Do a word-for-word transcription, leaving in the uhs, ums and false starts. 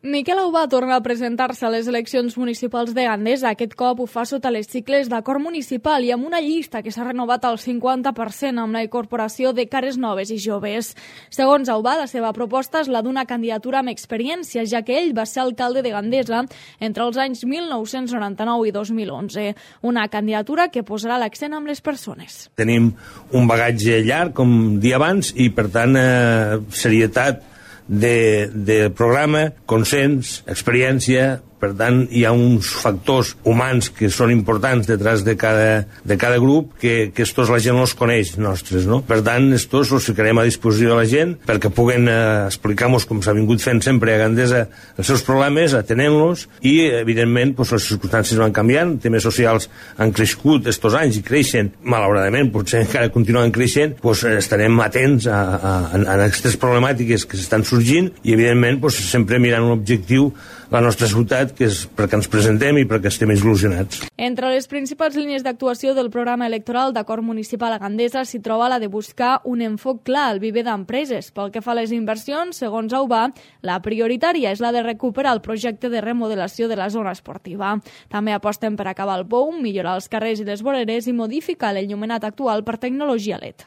Miquel Aubà torna a presentar-se a les eleccions municipals de Gandesa. Aquest cop ho fa sota les sigles d'Acord Municipal i amb una llista que s'ha renovat al cinquanta per cent amb la incorporació de cares noves i joves. Segons Aubà, la seva proposta és la d'una candidatura amb experiència, ja que ell va ser alcalde de Gandesa entre els anys mil nou-cents noranta-nou i dos mil onze. Una candidatura que posarà l'accent amb les persones. Tenim un bagatge llarg, com dia abans, i per tant eh, serietat de, de programa, consens, experiència. Per tant, hi ha uns factors humans que són importants detrás de cada, de cada grup que, que estos la gent no els coneix, nostres, no? Per tant, estos els ficarem a disposició de la gent perquè puguen eh, explicar-nos, com s'ha vingut fent sempre a Gandesa, els seus problemes, atenent-los, i, evidentment, pues, les circumstàncies van canviant, temes socials han crescut estos anys i creixen, malauradament, potser encara continuen creixent, pues, estarem atents a, a, a, a aquestes problemàtiques que s'estan sorgint i, evidentment, pues, sempre mirant un objectiu, la nostra ciutat, que és perquè ens presentem i perquè estem il·lusionats. Entre les principals línies d'actuació del programa electoral d'Acord Municipal a Gandesa s'hi troba la de buscar un enfoc clar al viver d'empreses. Pel que fa a les inversions, segons Aubà, la prioritària és la de recuperar el projecte de remodelació de la zona esportiva. També aposten per acabar el pou, millorar els carrers i les voreres i modificar l'enllumenat actual per tecnologia L E D.